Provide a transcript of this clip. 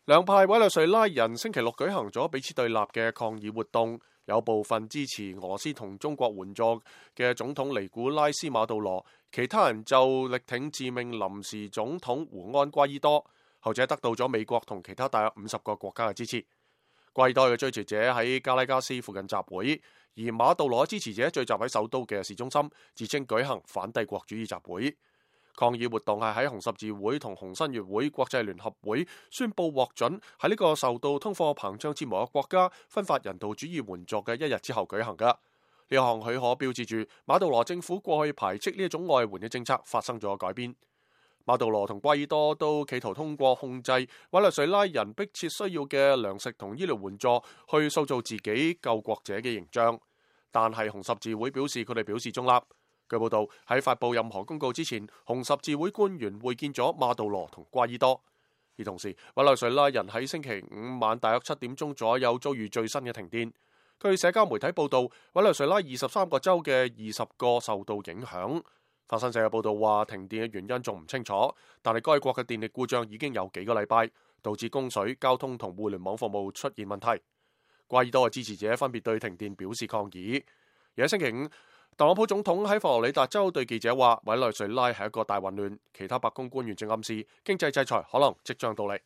兩派委內瑞拉人星期六舉行咗彼此對立嘅抗議活動，有部分支持俄羅斯同中國援助嘅總統尼古拉斯馬杜羅，其他人就力挺自命臨時總統胡安瓜伊多，後者得到咗美國同其他大約50個國家嘅支持。瓜伊多嘅追隨者喺加拉加斯附近集會，而馬杜羅支持者聚集喺首都嘅市中心，自稱舉行反帝國主義集會。抗議活動係喺紅十字會同紅新月會國際聯合會宣布獲准喺呢個受到通貨膨脹折磨嘅國家分發人道主義援助嘅一日之後舉行㗎。呢項許可標誌住馬杜羅政府過去排斥呢一種外援嘅政策發生咗改變。馬杜羅同瓜伊多都企圖通過控制委內瑞拉人迫切需要嘅糧食同醫療援助去塑造自己救國者嘅形象，但係紅十字會表示佢哋表示中立。據報道，喺發布任何公告之前，紅十字會官員會見咗馬杜羅同瓜伊多。而同時，委內瑞拉人喺星期五晚大約7點鐘左右遭遇最新嘅停電。據社交媒體報道，委內瑞拉23個州嘅20個受到影響。法新社嘅報道話，停電嘅原因仲唔清楚，但係該國嘅電力故障已經有幾個禮拜，導致供水、交通同互聯網服務出現問題。瓜伊多嘅支持者分別對停電表示抗議。而喺星期五，特朗普總統喺佛羅里達州對記者話，委內瑞拉係一個大混亂，其他白宮官員正暗示經濟制裁可能即將到嚟。